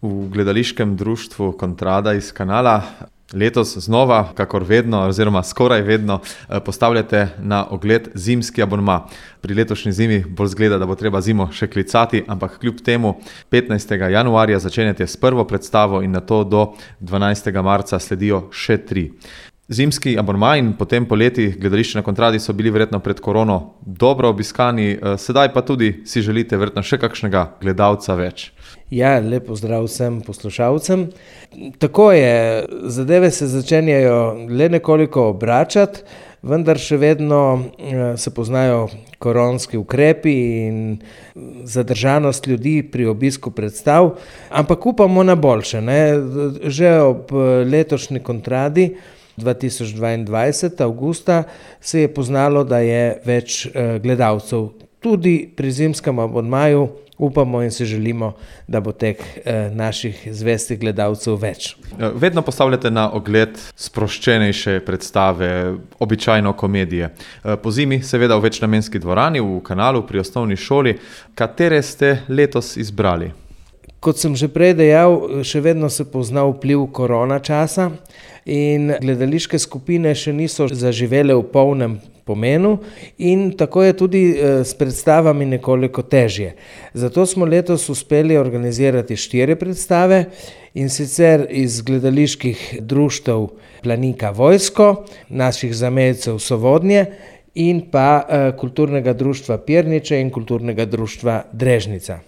V gledališkem društvu Kontrada iz Kanala letos znova, kakor vedno, oziroma skoraj vedno, postavljate na ogled zimski abonma. Pri letošnji zimi bolj zgleda, da bo treba zimo še klicati, ampak kljub temu 15. januarja začenjate s prvo predstavo in nato do 12. marca sledijo še 3. Zimski abonma in potem poleti gledališče na Kontradi so bili verjetno pred korono dobro obiskani, sedaj pa tudi si želite verjetno še kakšnega gledalca več. Ja, lep pozdrav vsem poslušalcem. Tako je, zadeve se začenjajo le nekoliko obračati, vendar še vedno se poznajo koronski ukrepi in zadržanost ljudi pri obisku predstav, ampak upamo na boljše, ne? Že ob letošnji Kontradi 2022, avgusta, se je poznalo, da je več gledalcev. Tudi pri zimskem abonmaju upamo in si želimo, da bo teh naših zvestih gledalcev več. Vedno postavljate na ogled sproščenejše predstave, običajno komedije. Po zimi seveda v večnamenski dvorani v Kanalu pri osnovni šoli. Katere ste letos izbrali? Kot sem že prej dejal, še vedno se pozna vpliv korona časa in gledališke skupine še niso zaživele v polnem pomenu in tako je tudi s predstavami nekoliko težje. Zato smo letos uspeli organizirati 4 predstave, in sicer iz gledaliških društev Planika Vojsko, naših zamejcev Sovodnje in pa kulturnega društva Pirniče in kulturnega društva Drežnica.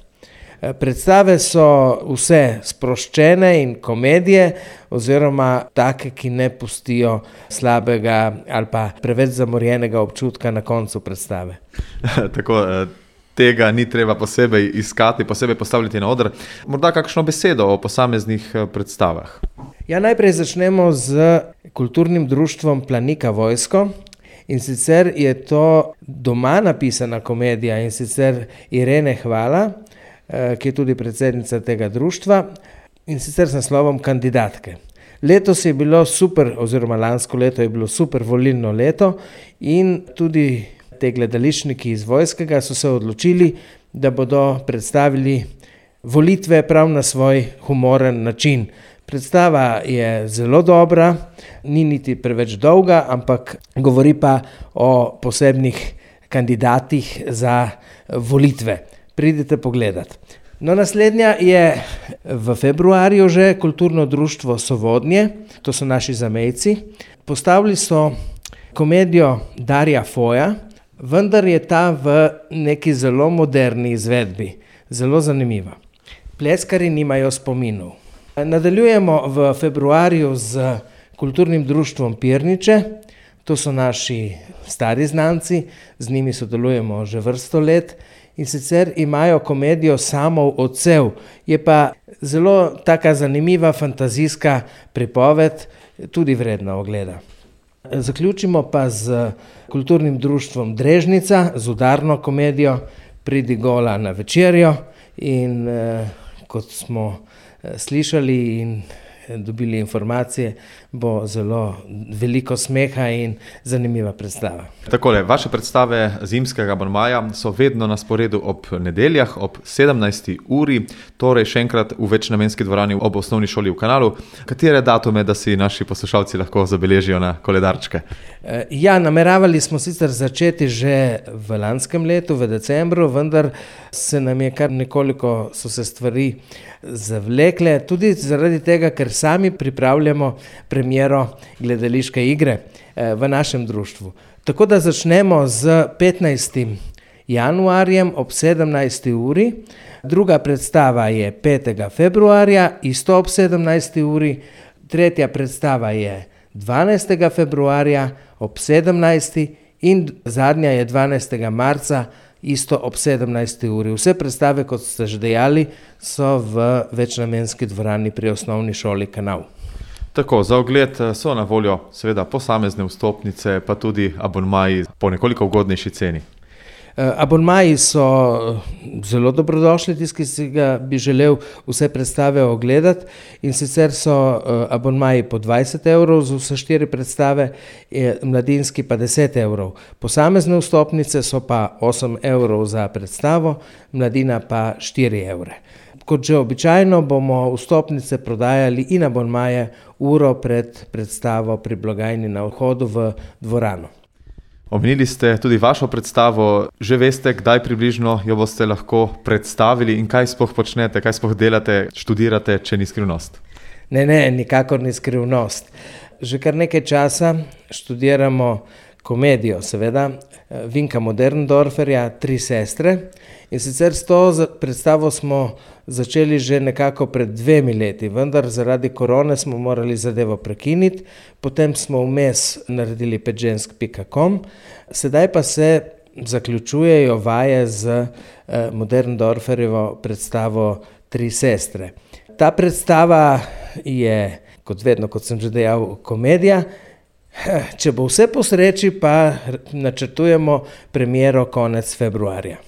Predstave so vse sproščene in komedije oziroma take, ki ne pustijo slabega ali pa preveč zamorjenega občutka na koncu predstave. Tako, tega ni treba posebej iskati, posebej postavljati na oder. Morda kakšno besedo o posameznih predstavah? Ja, najprej začnemo z kulturnim društvom Planika Vojsko. In sicer je to doma napisana komedija, in sicer Irene Hvala, ki je tudi predsednica tega društva, in sicer s naslovom Kandidatke. Letos je bilo super, oziroma lansko leto je bilo super volilno leto in tudi te gledališčniki iz Vojskega so se odločili, da bodo predstavili volitve prav na svoj humoren način. Predstava je zelo dobra, ni niti preveč dolga, ampak govori pa o posebnih kandidatih za volitve. Pridite pogledat. No, naslednja je v februarju že kulturno društvo Sovodnje, to so naši zamejci. Postavili so komedijo Darja Foja, vendar je ta v neki zelo moderni izvedbi, zelo zanimiva. Pleskarji nimajo spominov. Nadaljujemo v februarju z kulturnim društvom Pirniče, to so naši stari znanci, z njimi sodelujemo že vrsto let. In sicer imajo komedijo Samov odsev, je pa zelo taka zanimiva fantazijska pripoved, tudi vredna ogleda. Zaključimo pa z kulturnim društvom Drežnica, z udarno komedijo Pridi gola na večerjo in kot smo slišali in dobili informacije, bo zelo veliko smeha in zanimiva predstava. Takole, vaše predstave zimskega abonmaja so vedno na sporedu ob nedeljah, ob 17. uri, torej še enkrat v večnamenski dvorani ob osnovni šoli v Kanalu. Katere datume, da si naši poslušalci lahko zabeležijo na koledarčke? Ja, nameravali smo sicer začeti že v lanskem letu, v decembru, vendar se nam je kar nekoliko so se stvari zavlekle, tudi zaradi tega, ker sami pripravljamo premiero gledališke igre v našem društvu. Tako da začnemo z 15. januarjem ob 17. uri, druga predstava je 5. februarja, isto ob 17. uri, tretja predstava je 12. februarja ob 17. in zadnja je 12. marca, isto ob 17. uri. Vse predstave, kot ste že dejali, so v večnamenski dvorani pri osnovni šoli Kanal. Tako, za ogled so na voljo seveda posamezne vstopnice, pa tudi abonmaji po nekoliko ugodnejši ceni. Abonmaji so zelo dobrodošli, tisti, ki si ga bi želel vse predstave ogledati, in sicer so abonmaji po 20 evrov za vse 4 predstave, mladinski pa 10 evrov. Posamezne vstopnice so pa 8 evrov za predstavo, mladina pa 4 evre. Kot že običajno bomo vstopnice prodajali in abonmaje uro pred predstavo pri blagajni na vhodu v dvorano. Omenili ste tudi vašo predstavo. Že veste, kdaj približno jo boste lahko predstavili in kaj sploh počnete, kaj sploh delate, študirate, če ni skrivnost? Ne, nikakor ni skrivnost. Že kar nekaj časa študiramo komedijo, seveda, Vinka Moderndorferja Tri sestre. In sicer s to predstavo smo začeli že nekako pred 2 leti, vendar zaradi korone smo morali zadevo prekiniti, potem smo vmes naredili petžensk.com, sedaj pa se zaključujejo vaje z Moderndorferjevo predstavo Tri sestre. Ta predstava je, kot vedno, kot sem že dejal, komedija. Če bo vse po sreči, pa načrtujemo premiero konec februarja.